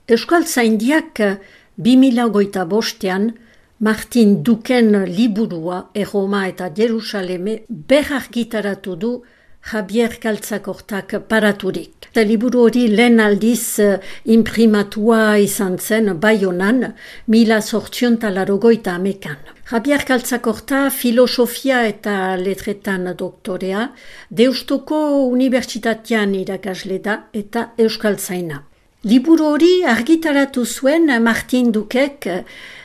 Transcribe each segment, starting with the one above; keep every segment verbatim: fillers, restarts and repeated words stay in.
Euskaltzaindiak bi mila hogeita bostean Martin Duken liburua Erroma eta Jerusaleme berargitaratu du Javier Galtzakortak paraturik. Eta liburu hori lehen aldiz uh, imprimatua izan zen Baionan, mila zortzion talarogoita amekan. Javier Galtzakorta filosofia eta letretan doktorea, Deustoko Unibertsitatean irakasle da eta euskaltzaina. Liburu hori argitaratu zuen Martin Dukek,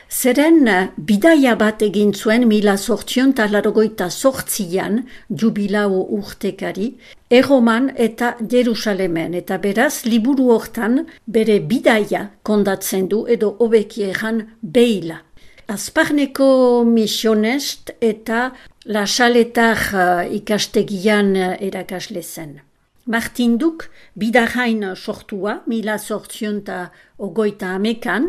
zeren bidaia bat egin zuen mila zortzion talarogoita zortzian, jubilao urtekari, Erroman eta Jerusalemen, eta beraz liburu hortan bere bidaia kondatzen du edo hobeki erran beila. Azparneko misionest eta Lasaletar ikastegian erakasle zen. Martin Duk bidarrain sortua, mila zortzion eta ogoita amekan,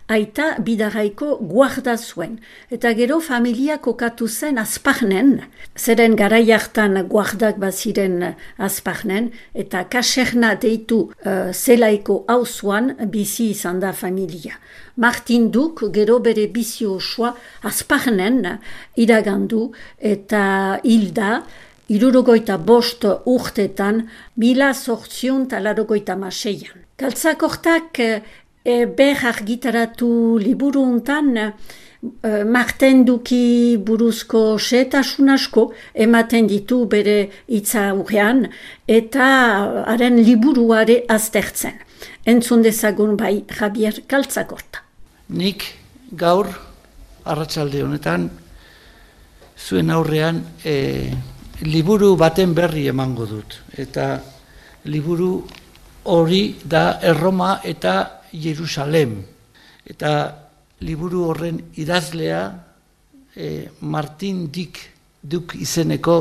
aita bidarraiko guarda zuen. Eta gero familia kokatu zen Azparnen, zeren garai hartan guardak baziren Azparnen, eta kaserna deitu uh, zelaiko auzoan bizi izan da familia. Martin Duk gero bere bizi osoa Azparnen iragandu eta hilda, irurogoita bost urtetan, mila zortzion talarogoita maseian. Galtzakortak e, ber argitaratu liburu untan, e, Martin Duki buruzko xehetasun asko ematen ditu bere hitza urrean, eta haren liburuare aztertzen. Entzun dezagun bai Javier Galtzakorta. Nik gaur, arratsalde honetan, zuen aurrean, e, liburu baten berri emango dut, eta liburu hori da Erroma eta Jerusalem. Eta liburu horren idazlea e, Martin Dik Duk izeneko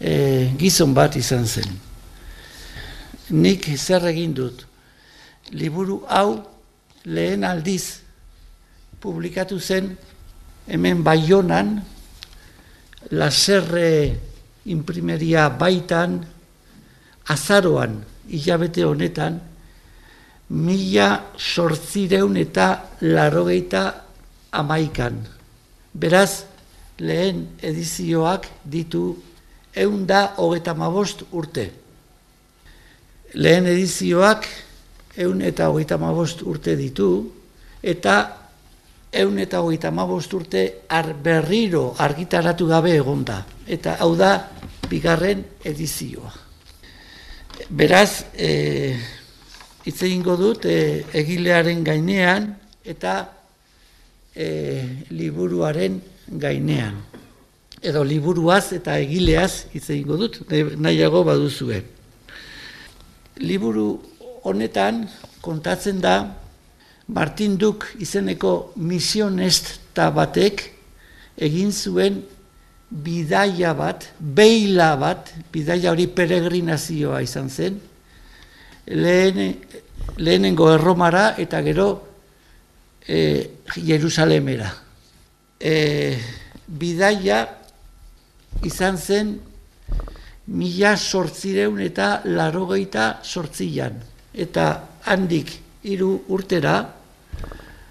e, gizon bat izan zen. Nik zer egin dut? Liburu hau lehen aldiz publikatu zen hemen Baionan, Laserre imprimeria baitan, azaroan, hilabete honetan, mila sortzireun eta larogeita amaikan. Beraz, lehen edizioak ditu ehun da hogeita hamabost urte. Lehen edizioak ehun eta hogeita hamabost urte ditu, eta ehun eta hogeita hamabost urte ar berriro argitaratu gabe egonda. Eta hau da bigarren edizioa. Beraz, e, hitz egingo dut e, egilearen gainean eta e, liburuaren gainean. Edo liburuaz eta egileaz hitz egingo dut, nahiago baduzue. Liburu honetan kontatzen da Martin Duk izeneko misionesta batek egin zuen bidaia bat, beila bat, bidaia hori peregrinazioa izan zen, lehen, lehenengo Erromara eta gero e, Jerusalemera. E, bidaia izan zen mila sortzireun eta larogeita sortzian, eta handik hiru urtera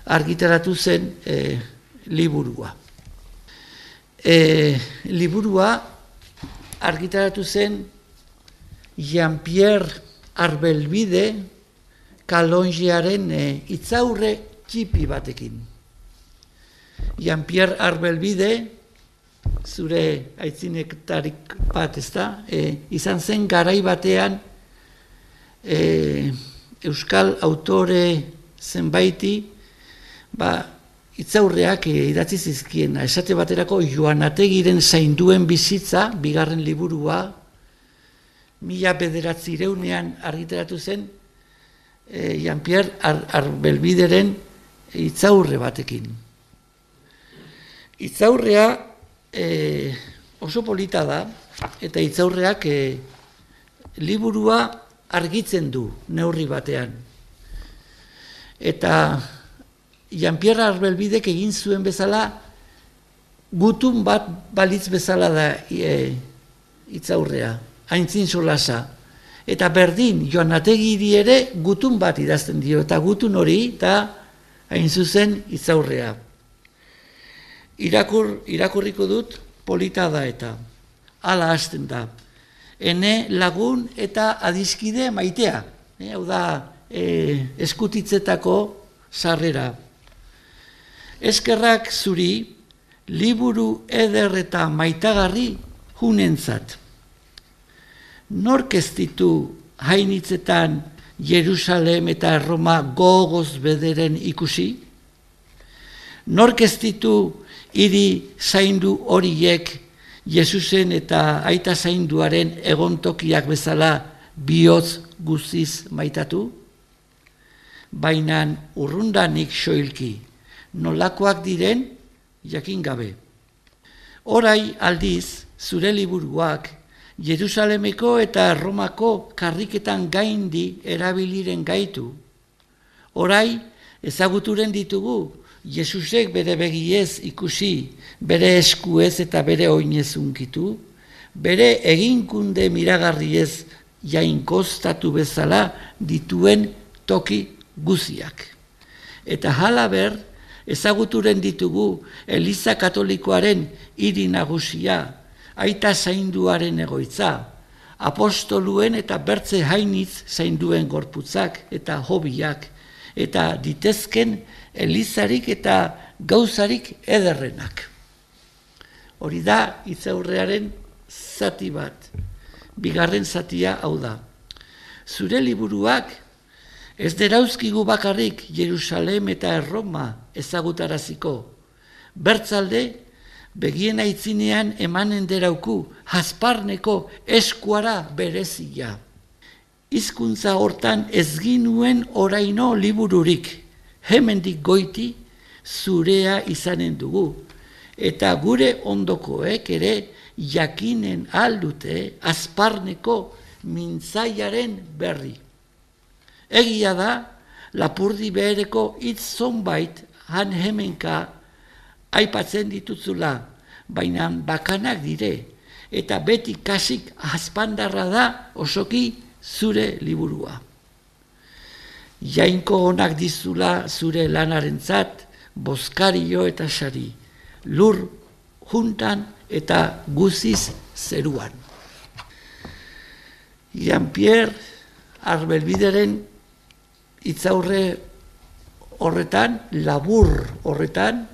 argitaratu zen e, liburua. E, liburua argitaratu zen Jean-Pierre Arbelbide Kalonjiaren e, itzaurre txipi batekin. Jean-Pierre Arbelbide, zure aitzinetarik bat, ez da, e, izan zen garai batean e, euskal autore zenbaiti, ba, itzaurreak idatzi zizkiena, esate baterako Joanategiren zainduen bizitza, bigarren liburua, mila bederatzieunean argitaratu zen, e, Jean-Pierre Ar Arbelbideren itzaurre batekin. Itzaurrea e, oso polita da, eta itzaurreak e, liburua argitzen du neurri batean. Eta Jean-Pierre Arbelbidek egin zuen bezala, gutun bat balitz bezala da e, itzaurrea, aintzin solasa. Eta berdin, Joanategi ere gutun bat idazten dio, eta gutun hori, eta hain zuzen itzaurrea. Irakur, irakurriko dut, polita da eta, hala hasten da. Ene lagun eta adiskide maitea, e, hau da, e, eskutitzetako sarrera. Eskerrak zuri, liburu eder eta maitagarri hunentzat. Nork ez ditu hainitzetan Jerusalem eta Roma gogoz bederen ikusi? Nork ez ditu hiri zaindu horiek Jesusen eta aita zainduaren egontokiak bezala bihotz guztiz maitatu? Bainan urrundanik soilki, nolakoak diren jakin gabe. Orai aldiz, zure liburuak Jerusalemeko eta Romako karriketan gaindi erabiliren gaitu. Orai ezaguturen ditugu, Jesusek bere begiez ikusi, bere eskuez eta bere oinez unkitu, bere eginkunde miragarriez jainkostatu bezala dituen toki guziak. Eta halaber, ezaguturen ditugu Eliza Katolikoaren hiri nagusia, aita zainduaren egoitza, apostoluen eta bertze hainitz zainduen gorputzak eta hobiak, eta ditezken Elizarik eta gauzarik ederrenak. Hori da itzaurrearen zati bat, bigarren zatia hau da. Zure liburuak ez derauzkigu bakarrik Jerusalem eta Erroma ezagutaraziko. Bertzalde, begien aitzinean emanen derauku Hasparneko eskuara berezia. Hizkuntza hortan ez ginuen oraino libururik, hemendik goiti zurea izanen dugu, eta gure ondokoek ere jakinen aldute Hasparneko mintzaiaren berri. Egia da, Lapurdi behereko hitz zonbait han hemenka aipatzen ditutzula, baina bakanak dire, eta beti kasik azpandarra da osoki zure liburua. Jainko onak dizula zure lanarentzat, bozkario eta sari, lur juntan eta guziz zeruan. Jean-Pierre Arbelbideren itzaurre horretan, labur horretan,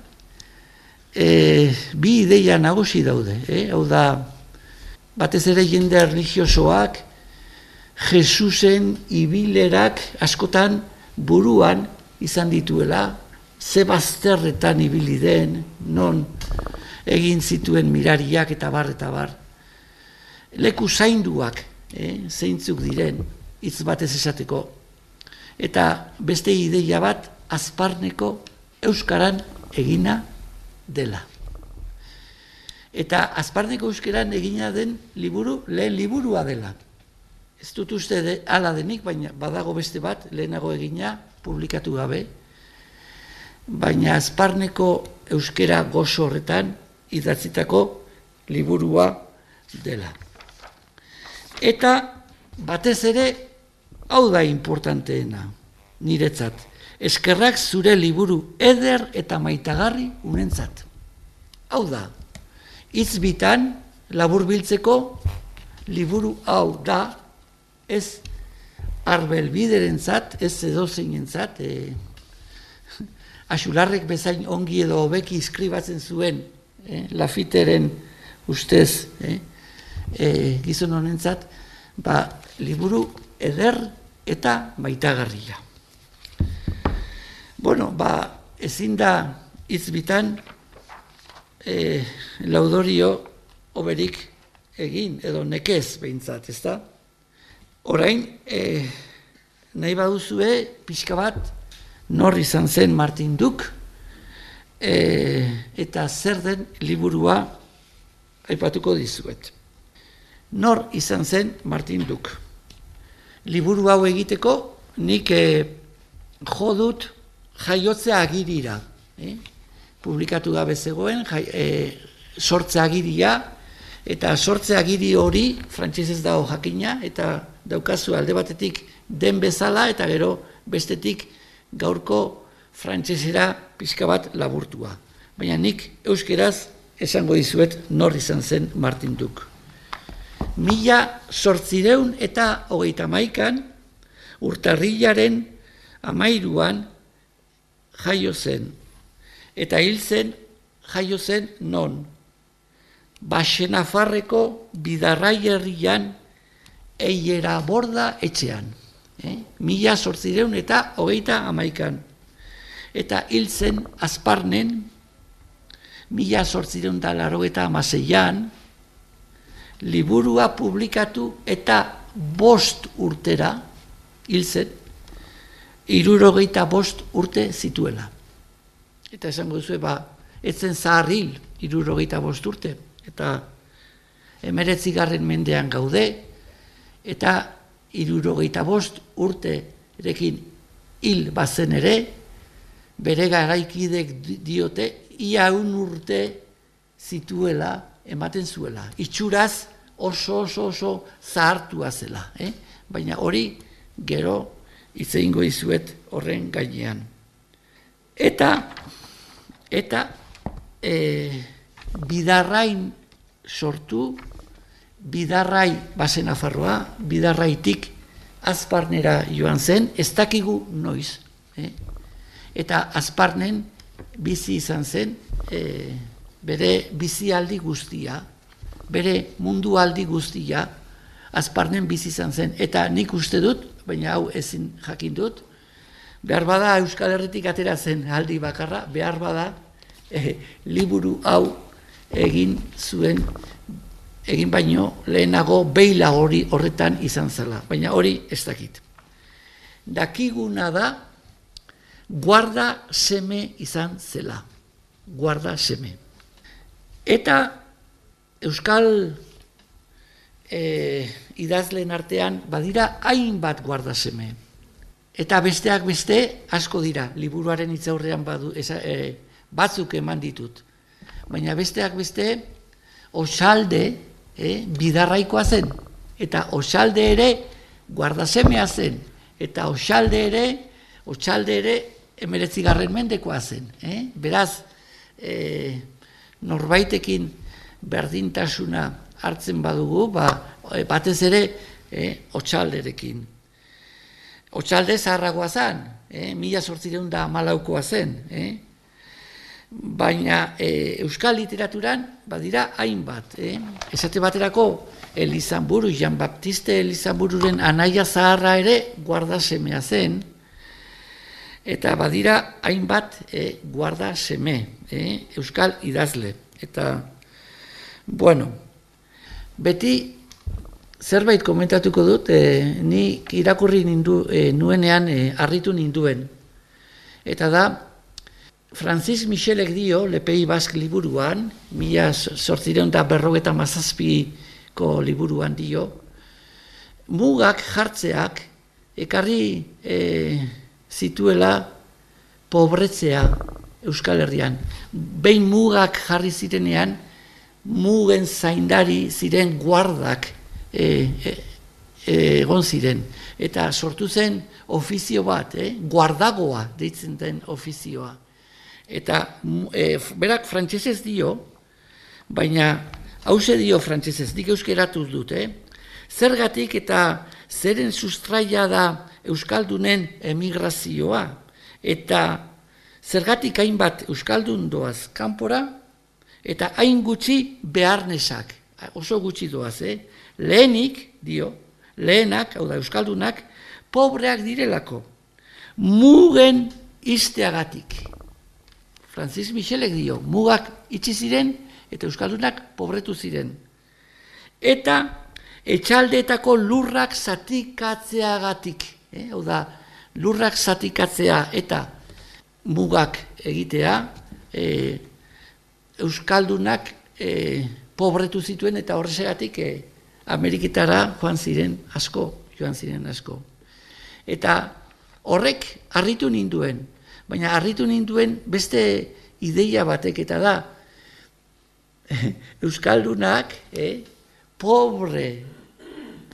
e, bi ideia nagusi daude. Eh? Hau da, batez ere jende religiosoak, Jesusen ibilerak askotan buruan izan dituela, ze bazterretan ibili den, non egin zituen mirariak eta bar eta bar. Leku zainduak, eh, zeintzuk diren, hitz batez esateko. Eta beste ideia bat, Hasparneko euskaran egina dela. Eta Hasparneko euskaran egina den liburu, lehen liburua dela. Ez dut uste de, ala denik, baina badago beste bat, lehenago egina, publikatu gabe, baina Hasparneko euskera gozo horretan idatzitako liburua dela. Eta batez ere, hau da importanteena, niretzat, eskerrak zure liburu eder eta maitagarri unentzat. Hau da, hitz bitan laburbiltzeko liburu hau da, ez Arbelbiderentzat, ez edozeinentzat, e, Axularrek bezain ongi edo hobeki iskribatzen zuen, e, Lafiteren ustez, e, e, gizon honentzat, ba, liburu eder eta maitagarria. Bueno, ba, ezin da hitz bitan e, laudorio oberik egin, edo nekez behintzat, ez da? Orain, e, nahi baduzue, pixka bat, nor izan zen Martin Duk, e, eta zer den liburua aipatuko dizuet. Nor izan zen Martin Duk. Liburu hau egiteko, nik e, jo dut jaiotze agirira. Eh? Publikatu gabe zegoen, jai, e, sortze agiria, eta sortze agiri hori, frantsesez dago jakina, eta daukazu alde batetik den bezala eta gero bestetik gaurko frantsesera pixka bat laburtua. Baina nik euskeraz esango dizuet nor izan zen Martin Duk. Mila zortzireun eta hogeita hamaikan urtarrilaren hamairuan jaio zen. Eta hil zen jaio zen non? Baxenafarreko Bidarrai herrian Eiera Borda etxean. Eh? Mila zortzireun eta hogeita hamaikan. Eta hil zen Azparnen, mila zortzireun eta laurogeita hamaseian, liburua publikatu eta bost urtera, hil zen, hirurogeita bost urte zituela. Eta esango duzu, ba, etzen zahar hil, hirurogeita bost urte. Eta hemeretzigarren mendean gaude, eta hirurogeita bost urterekin hil bazen ere, bere garaikidek diote, ia un urte zituela ematen zuela. Itxuraz oso oso oso zahartua zela. Eh? Baina hori gero hitz egingo dizuet horren gainean. Eta, eta e, Bidarrain sortu, Bidarrai Baxenafarroa, Bidarraitik Azparnera joan zen, ez dakigu noiz. Eh? Eta Azparnen bizi izan zen, e, bere bizialdi guztia, bere mundualdi guztia, Azparnen bizi izan zen. Eta nik uste dut, baina hau ezin jakin dut, behar bada Euskal Herritik atera zen aldi bakarra, behar bada e, liburu hau egin zuen, egin baino lehenago beila hori horretan izan zela, baina hori ez dakit. Dakiguna da, guarda seme izan zela, guarda seme. Eta Euskal e, idazleen artean badira hainbat guarda seme. Eta besteak beste asko dira, liburuaren hitzaurrean badu, eza, e, batzuk eman ditut. Baina besteak beste Osalde e, Bidarraikoa zen, eta Osalde ere guardasemea zen, eta Osalde ere, Otsalde ere hemeretzigarren mendekoa zen. Eh? Beraz, e, norbaitekin berdintasuna hartzen badugu, ba, batez ere e, Otsalderekin. Otsalde zaharragoa zen, eh? mila zortzireun da hamalaukoa zen. Eh? Baina e, euskal literaturan badira hainbat. Eh? Esate baterako Elizanburu, Jan Baptiste Elizanbururen anaia zaharra ere guardasemea zen, eta badira hainbat e, guarda seme, e, euskal idazle. Eta, bueno, beti zerbait komentatuko dut, e, ni irakurri nindu, e, nuenean e, harritu ninduen. Eta da, Francis Michelek dio, Le Pays Basque liburuan, mila zortzireun eta berrogeta mazazpiko liburuan dio, mugak jartzeak ekarri e, zituela pobretzea Euskal Herrian. Behin mugak jarri zirenean, mugen zaindari ziren guardak e, e, e, egon ziren. Eta sortu zen ofizio bat, eh? guardagoa deitzen den ofizioa. Eta e, berak frantsesez dio, baina hause dio frantsesez, dik euskeratuz dut, eh? Zergatik eta zeren sustraia da Euskaldunen emigrazioa, eta zergatik hainbat Euskaldun doaz kanpora, eta hain gutxi beharnesak, oso gutxi doaz, eh? Lehenik, dio, lehenak, hau da Euskaldunak, pobreak direlako, mugen izteagatik. Francis Michelek dio, mugak itxi ziren, eta Euskaldunak pobretu ziren. Eta etxaldeetako lurrak zatikatzeagatik, eh? hau da, lurrak zatikatzea eta mugak egitea, eh, Euskaldunak eh, pobretu zituen, eta horregatik eh, Ameriketara joan ziren asko, joan ziren asko. Eta horrek harritu ninduen, baina harritu ninduen beste ideia batek, eta da, Euskaldunak, eh, pobre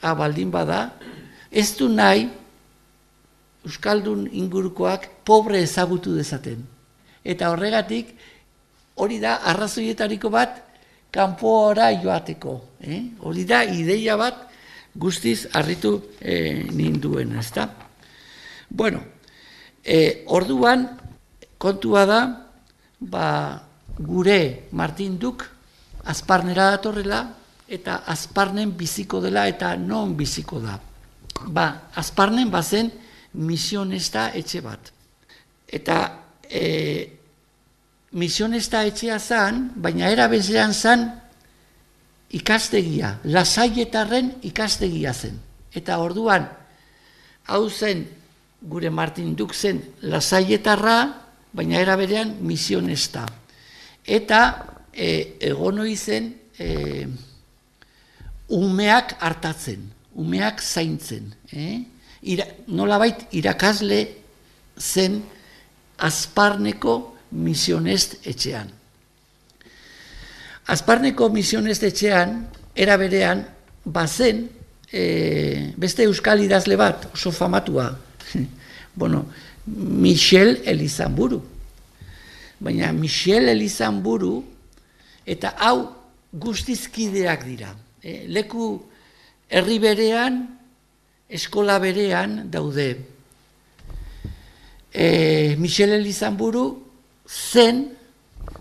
abaldin bada, ez du nahi euskaldun ingurukoak pobre ezagutu dezaten. Eta horregatik, hori da arrazoietariko bat kanpora joateko. Eh? Hori da ideia bat guztiz harritu eh, ninduen, ezta? Bueno, eh, orduan kontua da, ba, gure Martin Duk Azparnera datorrela, eta Azparnen biziko dela, eta non biziko da. Ba, Azparnen bazen misionesta etxe bat. Eta e, misionesta etxea zan, baina era bezean zan ikastegia, Lasaietarren ikastegia zen. Eta orduan, hau zen, gure Martin Duk zen Lasaietarra, baina era berean misionesta. Eta e, egon hori zen e, umeak hartatzen, umeak zaintzen. Eh? Ira, nolabait irakasle zen Azparneko misionest etxean. Azparneko misionest etxean, era berean, bazen e, beste euskal idazle bat, oso famatua. Bueno, Michel Elizamburu. Baina Michel Elizamburu, eta hau guztizkideak dira. E, leku herri berean, eskola berean daude. E, Michel Elizamburu zen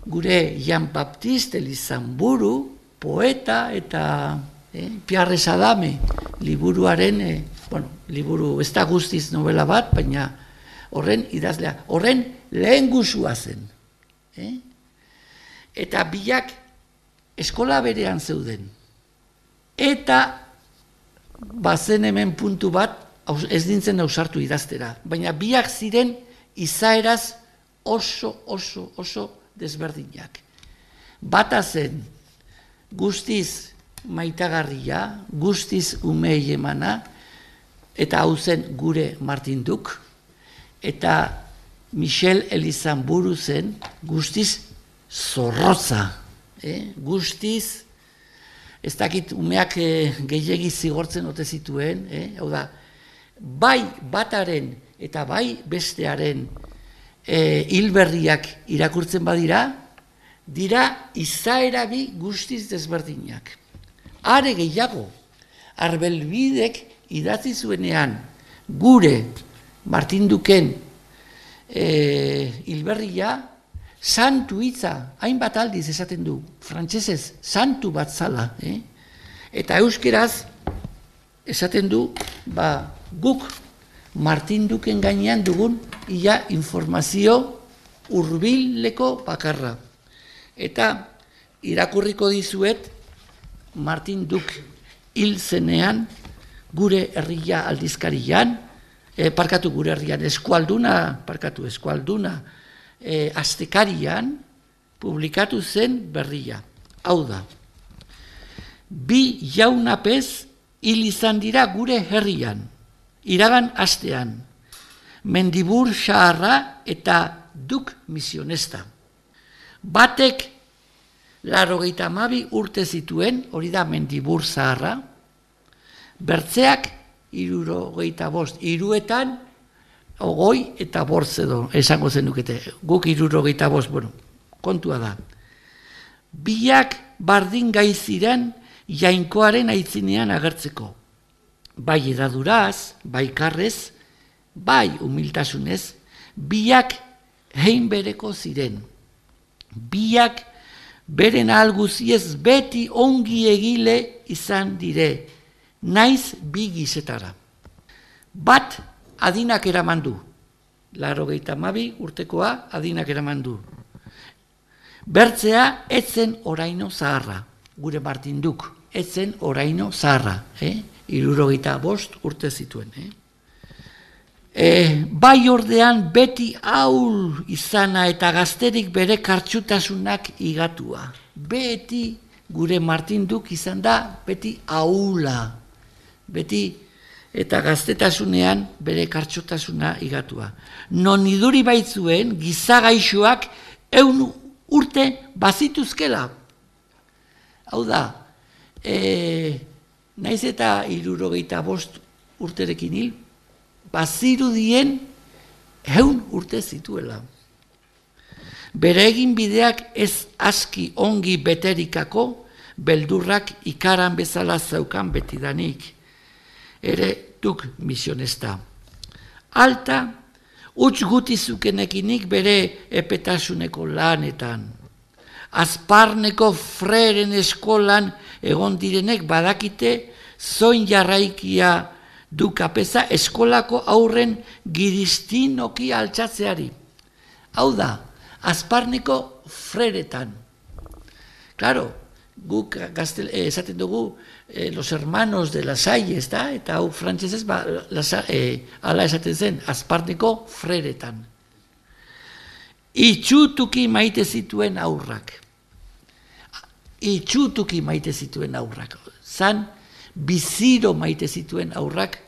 gure Jean Baptiste Elizamburu, poeta eta e, Pierre Sadame liburuaren, e, bueno, liburu ez da guztiz novela bat, baina horren idazlea, horren lehen guzua zen. E? Eta biak eskola berean zeuden. Eta bazen hemen puntu bat, ez dintzen ausartu idaztera, baina biak ziren izaeraz oso, oso, oso desberdinak. Bata zen guztiz maitagarria, guztiz umei emana, eta hau zen gure Martin Duk, eta Michel Elizamburu zen guztiz zorrotza, eh? Guztiz, ez dakit umeak eh, gehiegi zigortzen ote zituen, eh? Hau da, bai bataren eta bai bestearen eh, hilberriak irakurtzen badira, dira izaera bi guztiz desberdinak. Are gehiago, Arbelbidek idatzi zuenean gure Martin Duken hilberria, e, santu hitza, hainbat aldiz esaten du, frantsesez, santu bat zala. Eh? Eta euskeraz esaten du, ba, guk Martin Duken gainean dugun ia informazio hurbileko bakarra. Eta irakurriko dizuet Martin Duk hil zenean gure herria aldizkarian, e, parkatu gure herrian, eskualduna, parkatu eskualduna, e, astekarian publikatu zen berria. Hau da, bi jaunapez hil izan dira gure herrian, iragan astean, Mendibur Xaharra eta Duk misionesta. Batek laurogeita hamabi urte zituen, hori da Mendibur Zaharra, bertzeak hirurogeita bost, hiruetan ogoi eta bortz edo, esango zenukete, guk hirurogeita bost, bueno, kontua da. Biak bardin gai ziren jainkoaren aitzinean agertzeko. Bai edaduraz, bai karrez, bai humiltasunez, biak hein bereko ziren. Biak beren ahalguziez beti ongi egile izan dire, naiz bi gizetara. Bat adinak eraman du, laurogeita hamabi urtekoa adinak eraman du. Bertzea etzen oraino zaharra, gure Martin Duk, etzen oraino zaharra, eh? hirurogeita bost urte zituen. Eh? E, bai ordean beti ahul izana eta gazterik bere kartxutasunak igatua. Beti gure Martin Duk izan da beti ahula. Beti eta gaztetasunean bere kartxotasuna igatua. Non iduri baitzuen gizagaixoak eun urte bazituzkela. Hau da, e, naiz eta hirurogeita bost urterekin hil, bazirudien ehun urte zituela. Bere egin bideak ez aski ongi beterikako, beldurrak ikaran bezala zeukan betidanik. Ere duk misionesta. Alta, utz guti zukenekinik bere epetasuneko lanetan. Azparneko freren eskolan egon direnek badakite zoin jarraikia du kapeza eskolako aurren giristinoki altxatzeari. Hau da, Azparneko freretan. Claro, guk gaztel, eh, esaten dugu eh, los hermanos de la Salle, ez da? Eta hau frantsesez ba, eh, ala esaten zen, Azparneko freretan. Itxutuki maite zituen aurrak. Itxutuki maite zituen aurrak. Zan, biziro maite zituen aurrak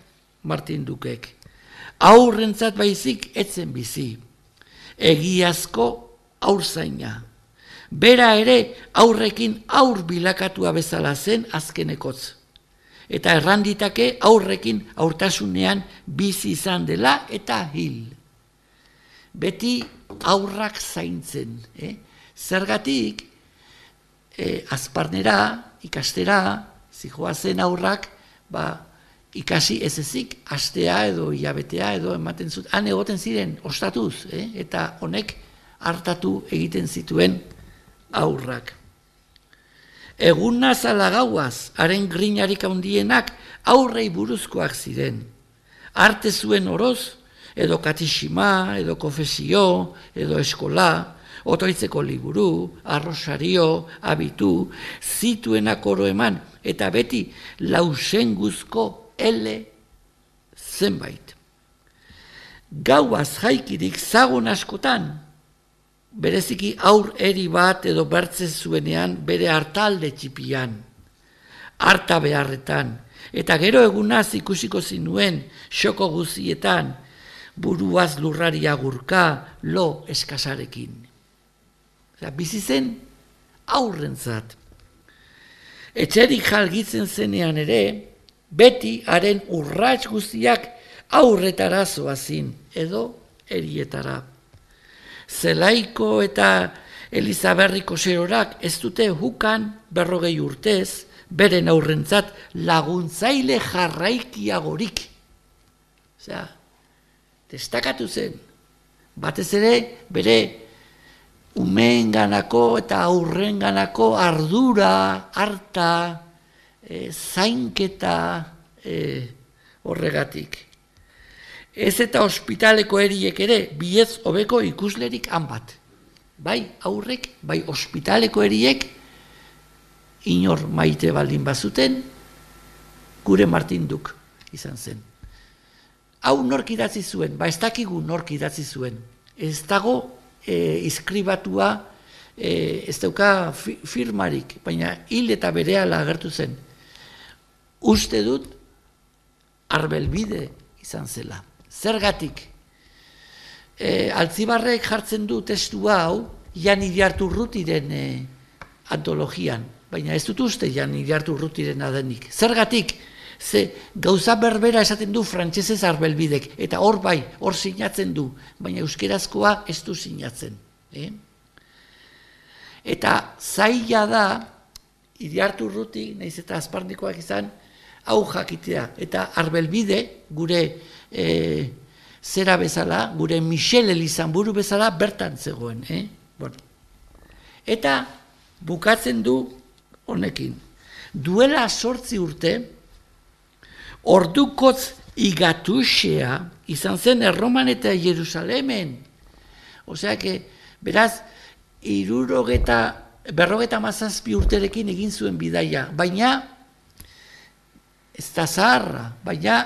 Martin Dukek. Aurrentzat baizik etzen bizi. Egiazko aurzaina. Bera ere aurrekin aur bilakatua bezala zen azkenekotz. Eta erranditake aurrekin aurtasunean bizi izan dela eta hil. Beti aurrak zaintzen. Eh? Zergatik, eh, Azparnera, ikastera, zijoazen aurrak, ba, ikasi ez ezik, astea edo hilabetea edo ematen zut, han egoten ziren ostatuz, eh? Eta honek hartatu egiten zituen aurrak. Egunaz ala gauaz, haren grinarik handienak aurrei buruzkoak ziren. Arte zuen oroz, edo katixima, edo konfesio, edo eskola, otoitzeko liburu, arrosario, abitu, zituenak oro eman, eta beti lausenguzko ele zenbait. Gauaz jaikirik zagon askotan, bereziki aur eri bat edo bertze zuenean bere hartalde txipian, harta beharretan, eta gero egunaz ikusiko zinuen xoko guzietan, buruaz lurrari agurka lo eskasarekin. Bizi zen aurrentzat. Etxerik jalgitzen zenean ere, beti haren urrats guztiak aurretara zoazin, edo erietara. Zelaiko eta Elizaberriko serorak ez dute hukan berrogei urtez, beren aurrentzat laguntzaile jarraikiagorik. Osea, destakatu zen, batez ere bere umeenganako eta aurrenganako ardura, harta, e, zainketa e, horregatik. Ez eta ospitaleko eriek ere, biez hobeko ikuslerik han bat. Bai aurrek, bai ospitaleko eriek, inor maite baldin bazuten, gure Martin Duk izan zen. Hau nork idatzi zuen, ba ez dakigu nork idatzi zuen. Ez dago e, iskribatua, e, ez dauka firmarik, baina hil eta berehala agertu zen. Uste dut, Arbelbide izan zela. Zergatik, e, Altzibarrek jartzen du testua hau, Jan Iriarte Urrutiren e, antologian, baina ez dut uste Jan Iriarte Urrutiren adenik. Zergatik, ze gauza berbera esaten du frantsesez Arbelbidek, eta hor bai, hor sinatzen du, baina euskerazkoa ez du sinatzen. Eh? Eta zaila da, Iriarte Urruti, nahiz eta Azparnikoak izan, hau jakitea, eta Arbelbide, gure e, zera bezala, gure Michel Elizanburu bezala, bertan zegoen. Eh? Bueno. Eta bukatzen du honekin. Duela sortzi urte, ordukotz igatuxea izan zen Erroman eta Jerusalemen. Osea, que, beraz, irurogeta, berrogeta mazazpi urterekin egin zuen bidaia, baina ez da zaharra, baina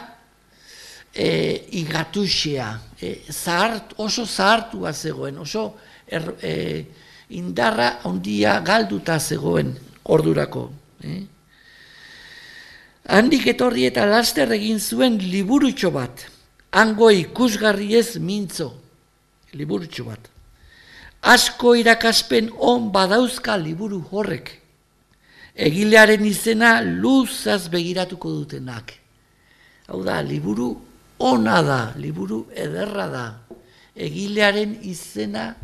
e, igatuxea, e, zahart, oso zahartua zegoen, oso er, e, indarra handia galduta zegoen ordurako. Eh? Handik etorri eta laster egin zuen liburutxo bat, hango ikusgarriez mintzo, liburutxo bat. Asko irakaspen on badauzka liburu horrek, egilearen izena luzaz begiratuko dutenak. Hau da, liburu ona da, liburu ederra da. Egilearen izena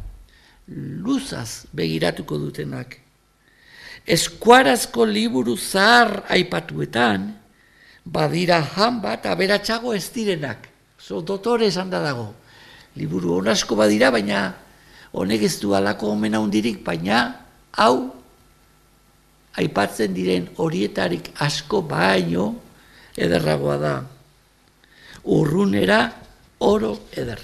luzaz begiratuko dutenak. Eskuarazko liburu zahar aipatuetan, badira han bat aberatsago ez direnak. So, dotore esan da dago. Liburu on asko badira, baina honek ez du alako omen handirik, baina hau aipatzen diren horietarik asko baino ederragoa da. Urrunera oro eder.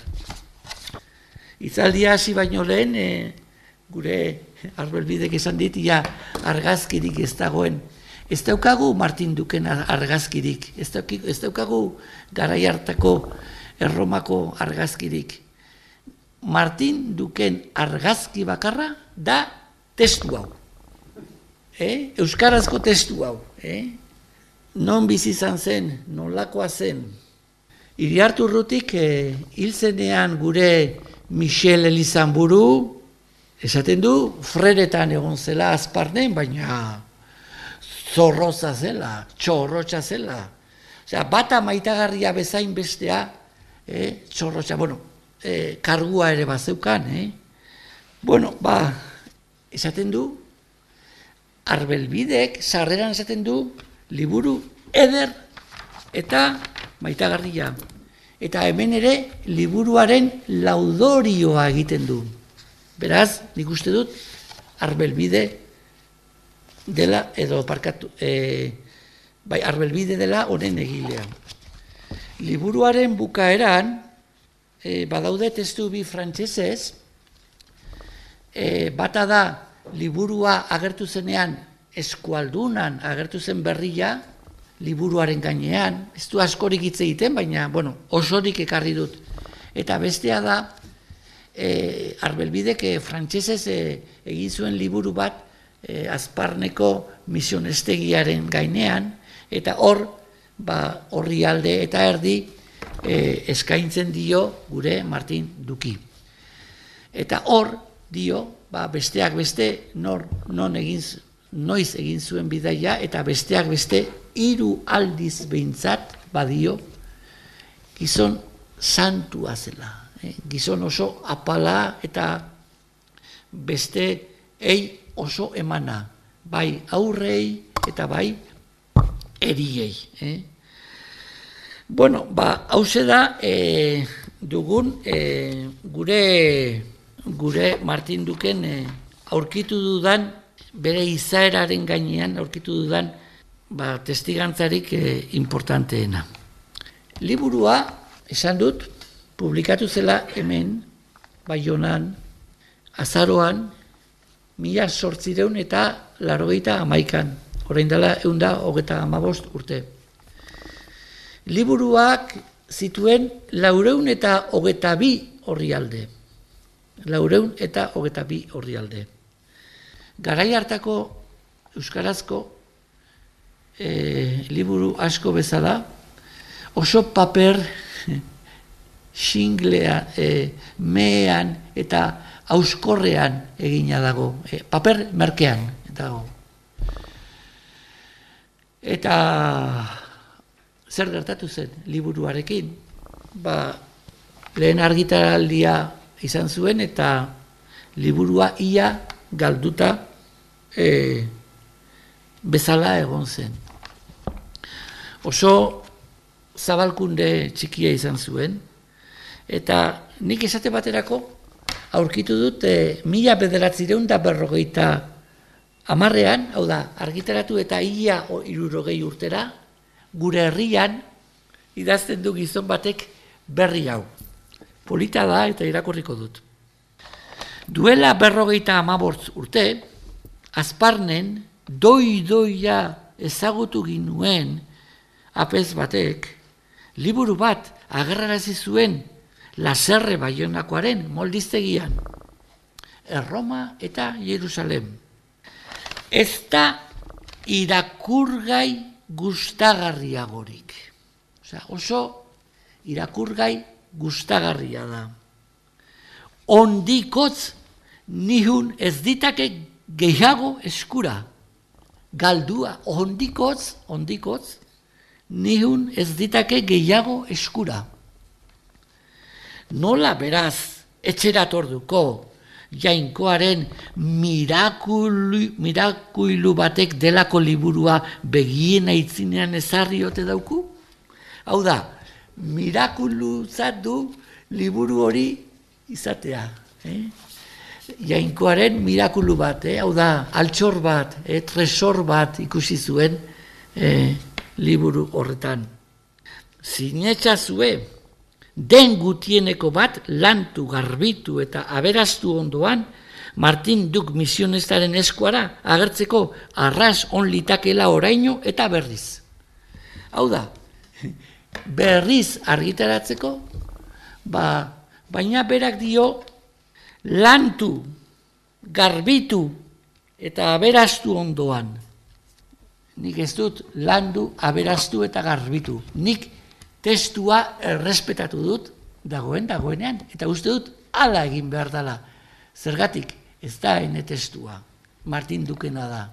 Itzaldia hasi baino lehen, e, gure Arbelbidek esan dit, ja, argazkirik ez dagoen. Ez daukagu Martin Duken argazkirik, ez daukagu garai hartako Erromako argazkirik. Martin Duken argazki bakarra da testu hau. Eh? Euskarazko testu hau. Eh? Non bizi izan zen, nolakoa zen. Iriarte Urrutik eh, hil zenean gure Michel Elizanburu, esaten du, freretan egon zela azparnen, baina zorroza zela, txorrotxa zela. Osea, bata maitagarria bezain bestea, eh, txorrotxa, bueno, eh, kargua ere bazeukan, eh? Bueno, ba, esaten du, Arbelbidek sarreran esaten du, liburu eder eta maitagarria. Eta hemen ere, liburuaren laudorioa egiten du. Beraz, nik uste dut, Arbelbide dela, edo parkatu, e, bai, Arbelbide dela honen egilea. Liburuaren bukaeran, e, badaude testu bi frantsesez, e, bata da, liburua agertu zenean, eskualdunan agertu zen berria, liburuaren gainean, ez du askorik hitz egiten, baina, bueno, osorik ekarri dut. Eta bestea da, e, Arbelbidek e, frantsesez e, egin zuen liburu bat e, Azparneko misionestegiaren gainean, eta hor, ba, horri alde eta erdi e, eskaintzen dio gure Martin Duki. Eta hor dio, ba, besteak beste nor, non egin, noiz egin zuen bidaia, eta besteak beste hiru aldiz behintzat badio gizon santua zela. Eh? Gizon oso apala eta beste ei oso emana, bai aurrei eta bai eriei. Eh? Bueno, ba, hauze da e, dugun e, gure, gure Martin Duken e, aurkitu dudan, bere izaeraren gainean aurkitu dudan, ba, testigantzarik e, importanteena. Liburua, esan dut, publikatu zela hemen, Baionan, azaroan, mila zortzireun eta laurogeita hamaikan, orain dela ehun hogeta hamabost urte. Liburuak zituen laureun eta hogeta bi orrialde. Laureun eta hogeta bi orrialde. Garai hartako euskarazko e, liburu asko bezala, oso paper xinglea, e, mehean eta auskorrean egina dago, e, paper merkean dago. Eta zer gertatu zen liburuarekin? Ba, lehen argitaraldia izan zuen eta liburua ia galduta e, bezala egon zen. Oso zabalkunde txikia izan zuen, eta nik esate baterako aurkitu dut e, mila bederatzireun da berrogeita hamarrean, hau da, argitaratu eta ia hirurogei urtera, gure herrian idazten du gizon batek berri hau. Polita da eta irakurriko dut. Duela berrogeita hamabost urte, Azparnen doi-doia ezagutu ginuen apez batek, liburu bat agerrarazi zuen Laserre Baionakoaren moldiztegian, Erroma eta Jerusalem. Ez da irakurgai gustagarriagorik. Osea, oso irakurgai gustagarria da. Ondikotz nihun ez ditake gehiago eskura. Galdua, ondikotz, ondikotz, nihun ez ditake gehiago eskura. Nola beraz etxeratorduko Jainkoaren mirakulu, mirakulu batek delako liburua begien aitzinean ezarriote dauku? Hau da, mirakulutzat du liburu hori izatea. Eh? Jainkoaren mirakulu bat, eh? Hau da, altxor bat, eh? tresor bat ikusi zuen eh, liburu horretan. Sinetxazue, den gutieneko bat lantu, garbitu eta aberastu ondoan, Martin Duk misionestaren eskuara agertzeko arras on litakela oraino eta berriz. Hau da, berriz argitaratzeko, ba, baina berak dio lantu, garbitu eta aberastu ondoan. Nik ez dut landu, aberastu eta garbitu. Nik testua errespetatu dut, dagoen, dagoenean, eta uste dut hala egin behar dela. Zergatik, ez da ene testua, Martin Dukena da.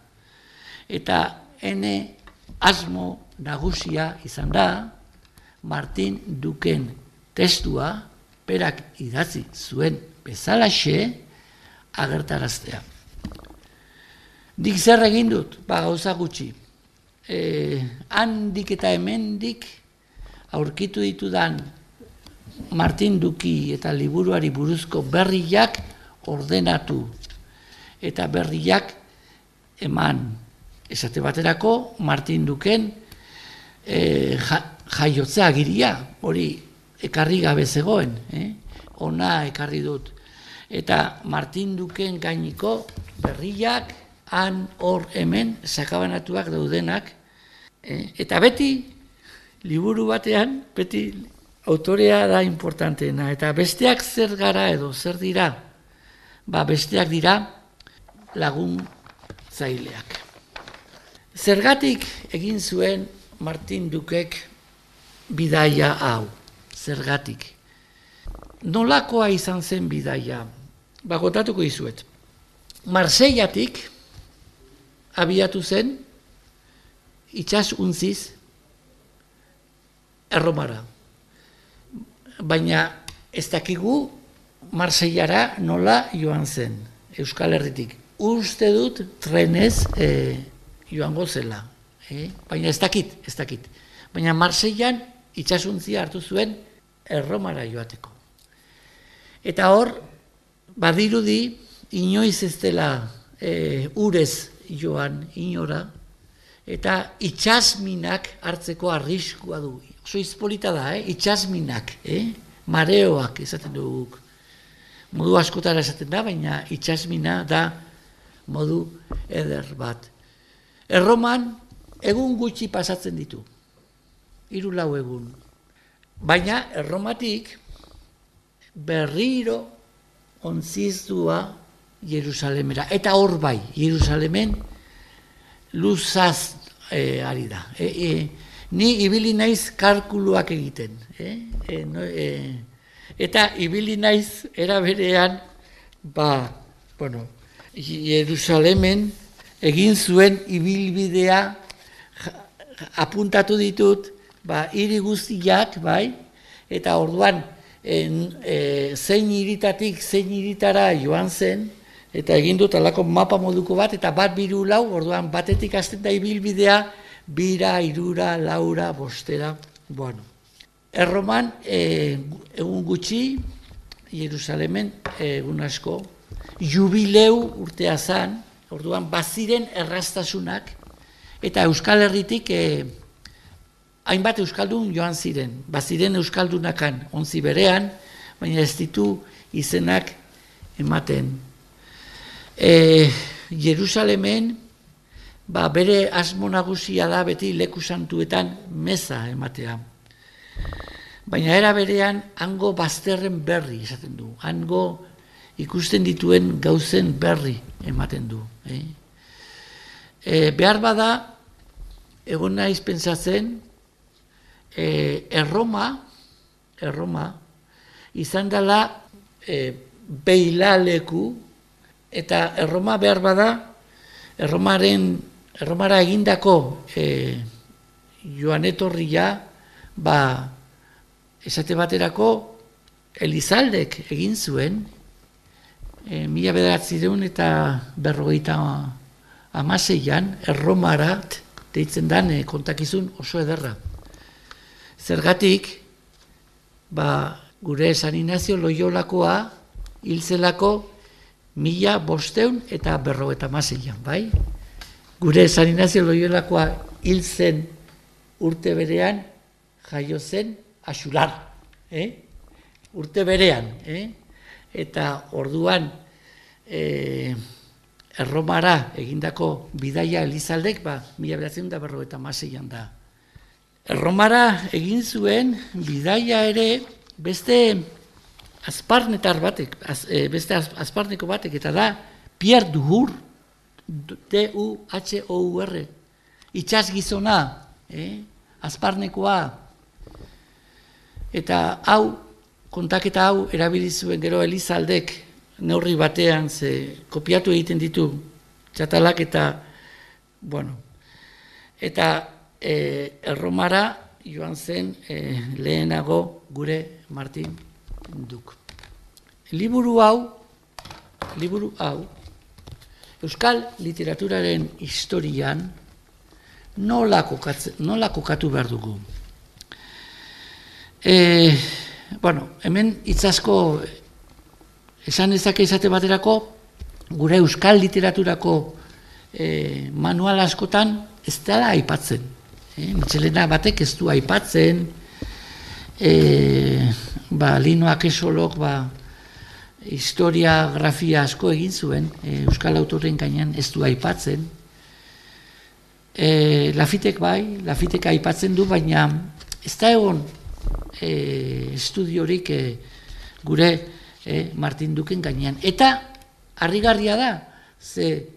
Eta ene asmo nagusia izan da, Martin Duken testua, berak idatzi zuen bezalaxe agertaraztea. Dik zer egin dut, ba gauza gutxi. E, handik eta hemendik aurkitu ditudan Martin Duki eta liburuari buruzko berriak ordenatu eta berriak eman. Esate baterako Martin Duken e, ja, jaiotzea agiria, hori ekarri gabe zegoen, eh? Ona ekarri dut. Eta Martin Duken gainiko berriak han hor hemen sakabanatuak daudenak, eh? Eta beti liburu batean, beti autorea da importanteena, eta besteak zer gara edo zer dira, ba besteak dira laguntzaileak. Zergatik egin zuen Martin Dukek bidaia hau, zergatik. Nolakoa izan zen bidaia, ba gotatuko izuet. Marseillatik abiatu zen, itsas untziz, Erromara. Baina ez dakigu Marseillara nola joan zen, Euskal Herritik. Uste dut trenez e, joango zela. Eh? Baina ez dakit, ez dakit. Baina Marseillan itsasuntzia hartu zuen Erromara joateko. Eta hor, badirudi, inoiz ez dela e, urez joan inora, eta itsasminak hartzeko arriskua du. Oso izpolita da, eh? Itsasminak, eh? Mareoak esaten duguk. Modu askotara esaten da, baina itsasmina da modu eder bat. Erroman egun gutxi pasatzen ditu. Hiru lau egun. Baina erromatik berriro ontzizdua Jerusalemera. Eta hor bai, Jerusalemen luzaz e, ari da. E, e, ni ibili naiz kalkuluak egiten. E, e, no, e, eta ibili naiz era berean, ba, bueno, Jerusalemen egin zuen ibilbidea apuntatu ditut, ba, hiri guztiak, bai, eta orduan en, e, zein hiritatik zein hiritara joan zen, eta egin dut alako mapa moduko bat, eta bat biru lau, orduan batetik hasten da ibilbidea, bira, irura, laura, bostera, bueno. Erroman, e, egun gutxi, Jerusalemen egun asko, jubileu urtea zan, orduan baziren erraztasunak, eta Euskal Herritik e, hainbat euskaldun joan ziren, baziren euskaldunakan ontzi berean, baina ez ditu izenak ematen. E, Jerusalemen, ba, bere asmo nagusia da beti leku santuetan meza ematea. Baina era berean hango bazterren berri esaten du, hango ikusten dituen gauzen berri ematen du. Eh? E, behar bada, egon naiz pentsatzen, e, Erroma, Erroma, izan dela e, beilaleku, eta Erroma behar bada, Erromaren, Erromara egindako e, joan etorria, ba, esate baterako, Elizaldek egin zuen, e, mila bederatziehun eta berrogeita hamaseian, Erromarat, deitzen dan e, kontakizun oso ederra. Zergatik, ba, gure San Ignacio Loiolakoa hilzelako mila bosteun eta berrogeita hamaseian, bai? Gure San Ignacio Loiolakoa hiltzen urte berean jaio zen Axular, eh? Urte berean, eh? Eta orduan eh, Erromara egindako bidaia Elizaldek, ba, mila bederatziehun eta berrogeita hamaseian da. Erromara egin zuen bidaia ere beste azparnetar batek, az, e, beste az, azparneko batek, eta da Pierre Duhur, D U H O U R, itxas gizona, eh? Azparnekoa, eta hau, kontaketa hau erabili zuen gero Elizaldek neurri batean, ze kopiatu egiten ditu txatalak eta, bueno, eta e, Erromara joan zen e, lehenago gure Martin Duk. Liburu hau, liburu hau, euskal literaturaren historian nola, kokatze, nola kokatu behar dugu. E, bueno, hemen itzasko esan ezake izate baterako, gure euskal literaturako e, manual askotan ez dela aipatzen. E, Mitxelena batek ez du aipatzen, e, ba, Lino Akesolok ba, historiografia asko egin zuen, e, euskal autoren gainean ez du aipatzen. E, Lafitek bai, Lafitek aipatzen du, baina ez da egon e, estudiorik e, gure e, Martin Duken gainean. Eta harrigarria da, ze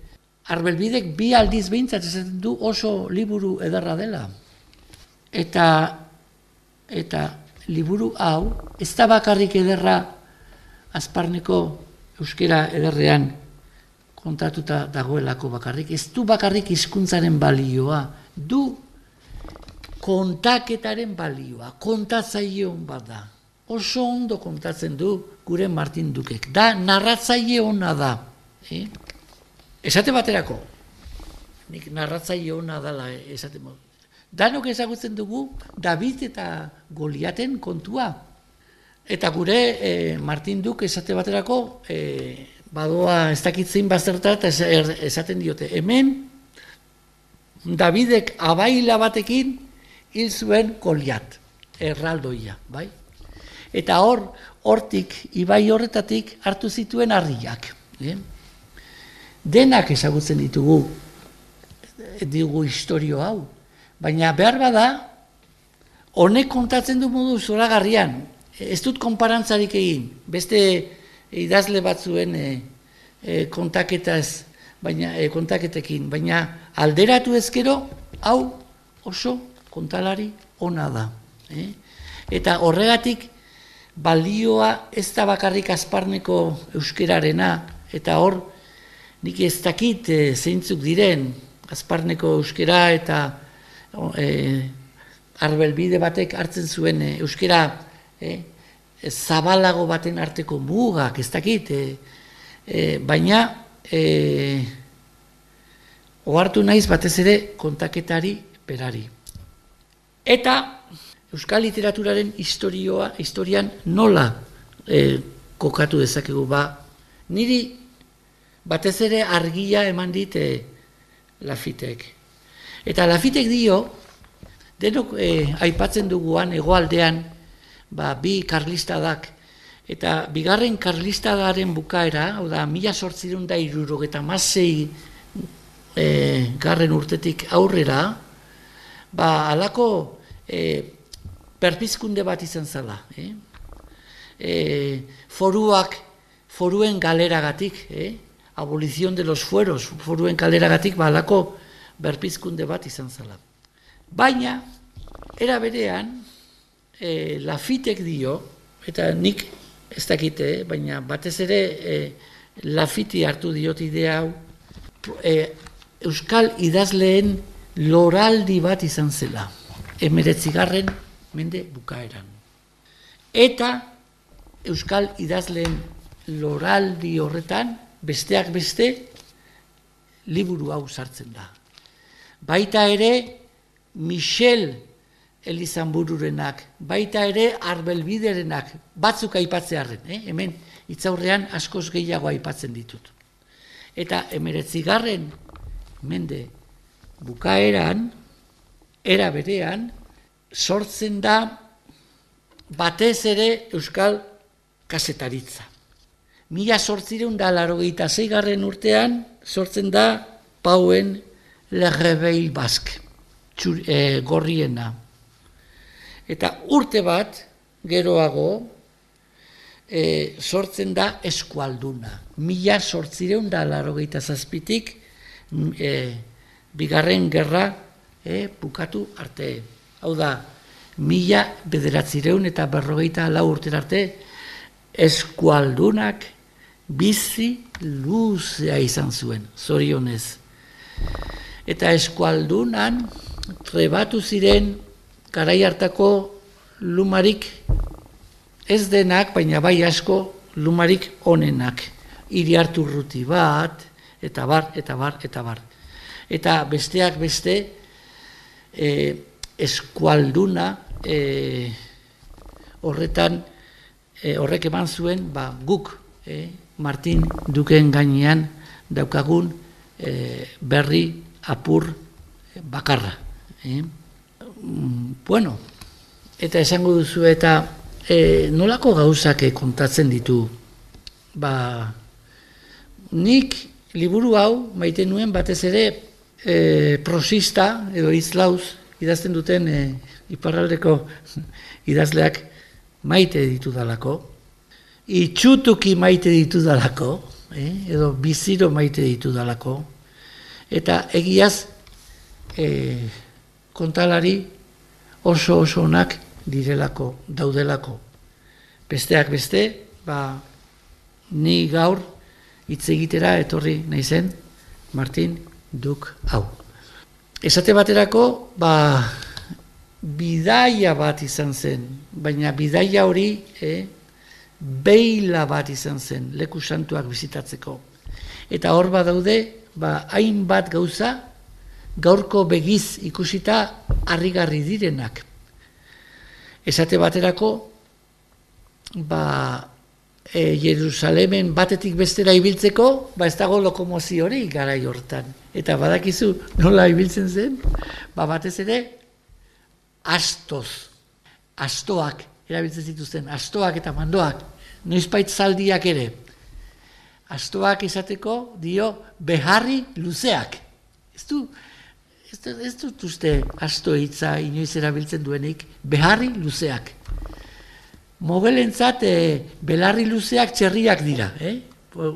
Arbelbidek bi aldiz behintzat esaten du oso liburu ederra dela. Eta, eta liburu hau ez da bakarrik ederra azparneko euskera ederrean kontatuta dagoelako bakarrik, ez du bakarrik hizkuntzaren balioa, du kontaketaren balioa, kontatzaileon bat da. Oso ondo kontatzen du gure Martin Dukek, da narratzaile ona da. Eh? Esate baterako, nik narratzaile ona dela esate modu. Danok ezagutzen dugu David eta Goliaten kontua. Eta gure eh, Martin Duk esate baterako eh, badoa ez dakitzein bazterta eta esaten diote. Hemen Davidek abaila batekin hil zuen Goliat, erraldoia, bai? Eta hor, hortik, ibai horretatik hartu zituen harriak. Eh? Denak ezagutzen ditugu, digu historio hau. Baina behar bada, honek kontatzen du modu zoragarrian. Ez dut konparantzarik egin, beste idazle batzuen e, e, kontaketaz, baina, e, kontaketekin, baina alderatu ezkero, hau oso kontalari ona da. Eh? Eta horregatik balioa ez da bakarrik azparneko euskerarena, eta hor, nik ez dakit e, zeintzuk diren, azparneko euskera eta e, Arbelbide batek hartzen zuen e, euskera e, zabalago baten arteko mugak, ez dakit, e, e, baina e, ohartu naiz batez ere kontaketari berari. Eta euskal literaturaren historioa, historian nola e, kokatu dezakegu ba, niri batez ere argia eman dit e, Lafitek. Eta Lafitek dio, denok e, aipatzen duguan hegoaldean, ba, bi karlistadak, eta bigarren karlistadaren bukaera, hau da, mila zortziehun eta hirurogeita hamasei e, garren urtetik aurrera, ba, halako e, perpizkunde bat izan zela. Eh? E, foruak, foruen galeragatik, eh? Abolizion de los fueros, foruen galeragatik, ba, halako berpizkunde bat izan zela. Baina, era berean, e, Lafitek dio, eta nik ez dakite, eh? Baina batez ere e, Lafiti hartu diot idea hau, e, euskal idazleen loraldi bat izan zela. emeretzigarren mende bukaeran. Eta euskal idazleen loraldi horretan, besteak beste, liburu hau sartzen da. Baita ere, Michel Elizanbururenak, baita ere Arbelbiderenak, batzuk aipatzearren, eh? Hemen hitzaurrean askoz gehiago aipatzen ditut. Eta emeretzigarren mende bukaeran, era berean, sortzen da batez ere euskal kazetaritza. Mila zortzireun da laurogeita seigarren urtean sortzen da Pauen Le Réveil Basque, txur, e, gorriena. Eta urte bat, geroago, e, sortzen da Eskualduna. Mila zortzireun da laurogeita zazpitik, e, bigarren gerra e, bukatu arte. Hau da, mila bederatzireun eta berrogeita lau urtera arte, Eskualdunak bizi luzea izan zuen, zorionez. Eta Eskualdunan trebatu ziren garai hartako lumarik ez denak, baina bai asko lumarik onenak. Iriarte Urruti bat, eta bar, eta bar, eta bar. Eta besteak beste, e, Eskualduna e, horretan, e, horrek eman zuen, ba, guk, e, Martin Duken gainean daukagun e, berri apur bakarra. Eh? Bueno, eta esango duzu eta e, nolako gauzak kontatzen ditu. Ba, nik liburu hau maite nuen batez ere e, prosista edo izlauz idazten duten e, iparraldeko idazleak maite ditu dalako, itxutuki maite ditu dalako, eh? edo biziro maite ditu dalako, eta egiaz e, kontalari oso oso onak direlako, daudelako. Besteak beste, ba, ni gaur hitz egitera etorri naizen Martin Duk hau. Esate baterako, ba, bidaia bat izan zen, baina bidaia hori eh, beila bat izan zen, leku santuak bizitatzeko. Eta hor badaude, ba, hainbat gauza, gaurko begiz ikusita harrigarri direnak. Esate baterako, ba, e, Jerusalemen batetik bestera ibiltzeko, ba, ez dago lokomozio hori garai hortan. Eta badakizu nola ibiltzen zen, ba, batez ere, astoz, astoak, erabiltzen zituzten, astoak eta mandoak, noizbait zaldiak ere. Astoak izateko dio beharri luzeak. Ez du, ez, ez dut uste asto hitza inoiz erabiltzen duenik, beharri luzeak. Mogelentzat e, belarri luzeak txerriak dira. Eh?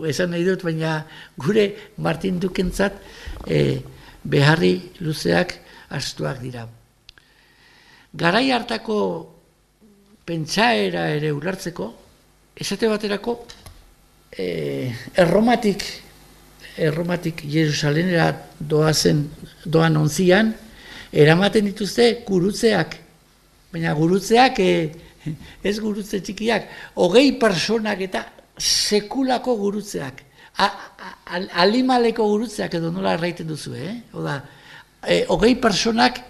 Esan nahi dut, baina gure Martin Dukentzat e, beharri luzeak astoak dira. Garai hartako pentsaera ere ulertzeko, esate baterako, e, erromatik, erromatik Jerusalenera doazen, doan ontzian, eramaten dituzte gurutzeak, baina gurutzeak, e, ez gurutze txikiak, hogei personak eta sekulako gurutzeak, a, a, alimaleko gurutzeak edo nola erraiten duzu, eh? Oda, e, hogei personak,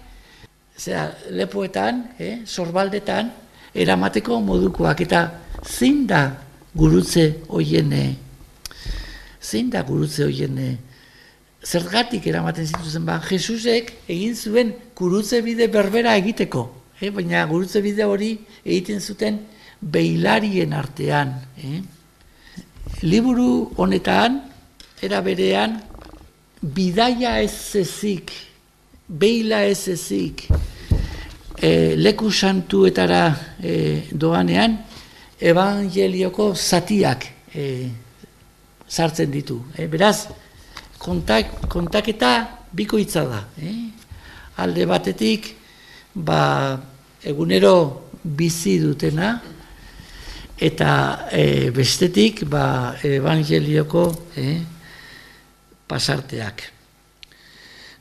zera, lepoetan, eh, sorbaldetan, eramateko modukoak, eta zein da gurutze hoien, zein da gurutze hoien, zergatik eramaten zituzen, ba, Jesusek egin zuen gurutze bide berbera egiteko, eh, baina gurutze bide hori egiten zuten beilarien artean. Eh. Liburu honetan, era berean, bidaia ez ezik, beila ez ezik, e, leku santuetara e, doanean, evangelioko zatiak e, sartzen ditu. E, beraz, kontak, kontaketa bikoitza da. E? Alde batetik, ba, egunero bizi dutena, eta e, bestetik, ba, evangelioko e, pasarteak.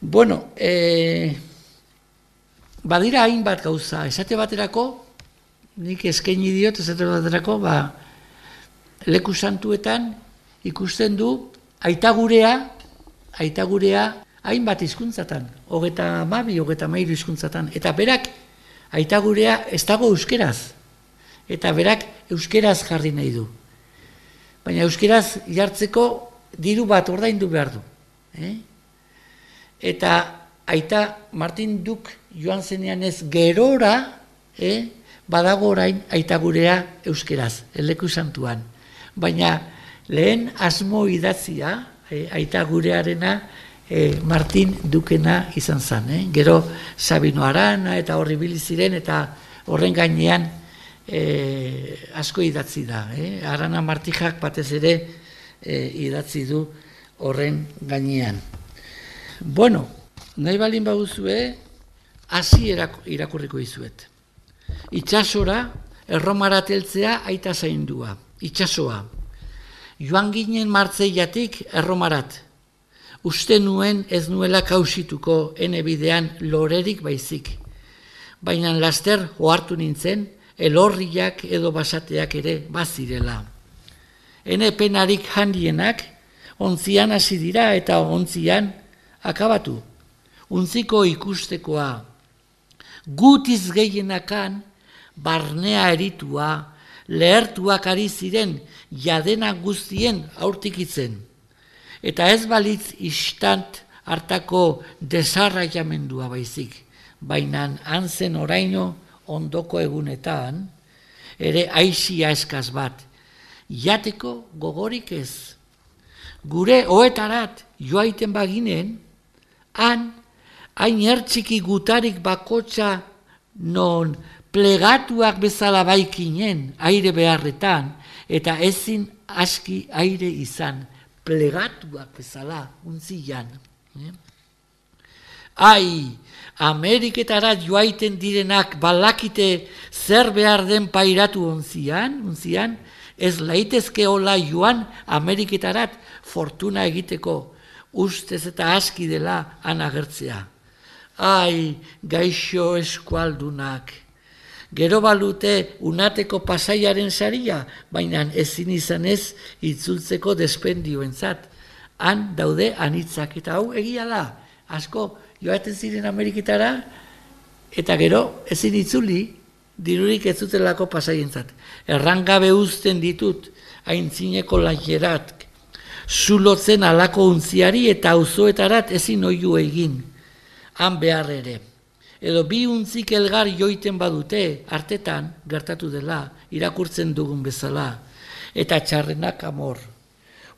Bueno, e, badira hainbat gauza, esate baterako, nik eskaini diot, esate baterako, ba, leku santuetan ikusten du aitagurea, aitagurea hainbat hizkuntzatan, hogeta hamabi, hogeta hamairu hizkuntzatan, eta berak aitagurea ez dago euskeraz, eta berak euskeraz jarri nahi du. Baina euskeraz jartzeko diru bat ordaindu behar du. Eh? Eta aita Martin Duk joan zenean ez gerora, eh? badago orain aitagurea euskeraz, leku santuan. Baina lehen asmo idatzia, eh? aitagurearena eh, Martin Dukena izan zen. Eh? Gero Sabino Arana eta horri biliziren eta horren gainean E, asko idatzi da. Eh? Arana Martijak batez ere e, idatzi du horren gainean. Bueno, nahi balin baguzue, hasi irakurriko izuet. Itsasora, erromara teltzea aita zaindua. Itsasoa. Joan ginen martzeiatik erromarat. Uste nuen ez nuela kausituko ene bidean lorerik baizik. Baina laster ohartu nintzen, elorriak edo basateak ere bazirela. Ene penarik handienak ontzian hasi dira eta ontzian akabatu. Untziko ikustekoa. Gutiz gehienakan barnea eritua, lehertuak ari ziren jadena guztien aurtikitzen. Eta ez balitz istant hartako desarraiamendua baizik, baina hantzen oraino ondoko egunetan, ere aisia eskaz bat, jateko gogorik ez. Gure oetarat joaiten baginen, han, hain ertxiki gutarik bakotxa non plegatuak bezala baikinen aire beharretan, eta ezin aski aire izan, plegatuak bezala untzian. Eh? Ai, Ameriketarat joaiten direnak balakite zer behar den pairatu ontzian, ontzian, ez laitezke hola joan Ameriketarat fortuna egiteko, ustez eta aski dela han agertzea. Ai, gaixo eskualdunak. Gero balute unateko pasaiaren saria, baina ezin izanez itzultzeko despendioentzat. Han daude anitzak, eta hau egia da, asko, joaten ziren Ameriketara, eta gero ezin itzuli, dirurik ez zutelako pasaientzat. Errangabe uzten ditut, aintzineko laierat, zulotzen alako untziari eta auzoetarat ezin oiu egin, han behar ere. Edo bi untzik elgar joiten badute, artetan, gertatu dela, irakurtzen dugun bezala, eta txarrenak amor.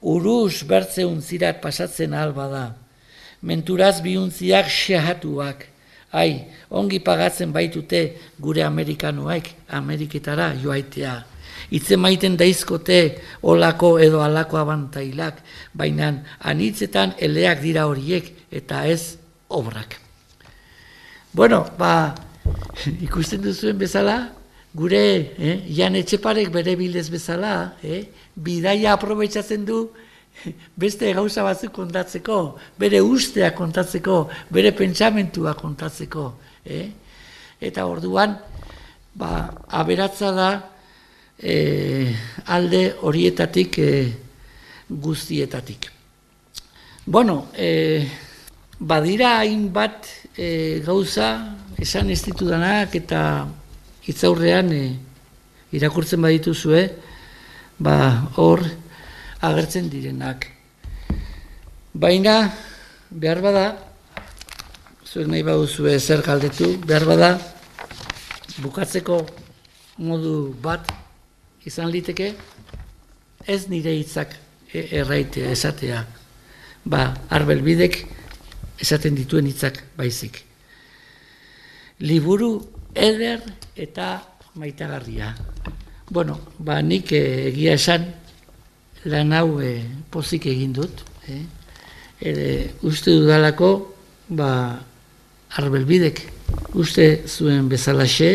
Uruz bertze untzirat pasatzen alba da. Menturaz biuntziak xehatuak. Ai, ongi pagatzen baitute gure amerikanoek Ameriketara joaitea. Itze maiten daizkote olako edo alako abantailak, baina anitzetan eleak dira horiek eta ez obrak. Bueno, ba, ikusten duzuen bezala, gure eh, Jan Etxeparek bere bildez bezala, eh, bidaia aprobetxatzen du, beste gauza batzuk kontatzeko, bere ustea kontatzeko, bere pentsamentua kontatzeko. Eh? Eta orduan, ba, aberatza da eh, alde horietatik eh, guztietatik. Bueno, eh, badira hainbat eh, gauza esan ez ditudanak eta hitzaurrean eh, irakurtzen badituzue, ba, hor, agertzen direnak. Baina, behar bada, zuek nahi baduzue zer galdetu, behar bada, bukatzeko modu bat izan liteke, ez nire hitzak erraitea, esatea. Ba, Arbelbidek esaten dituen hitzak baizik. Liburu eder eta maitagarria. Bueno, ba, nik egia esan, lan hau e, pozik egin dut. Eh? Ere, uste dudalako, ba, Arbelbidek uste zuen bezalaxe,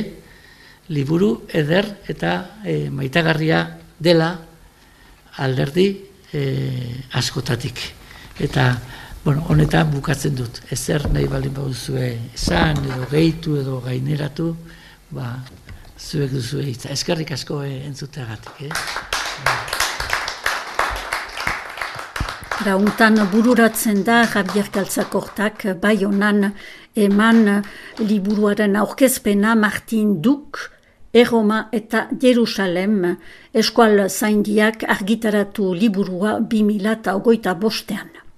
liburu eder eta e, maitagarria dela alderdi e, askotatik. Eta, Bueno, honetan bukatzen dut. Ezer nahi balin baduzue esan, edo gehitu, edo gaineratu, ba, zuek duzue hitza. Eskerrik asko eh, entzuteagatik. Eh? Rauntan bururatzen da Javier Galtzakortak Baionan eman liburuaren aurkezpena Martin Duk, Erroma eta Jerusalem eskual zaindiak argitaratu liburua bi mila hogeita bostean.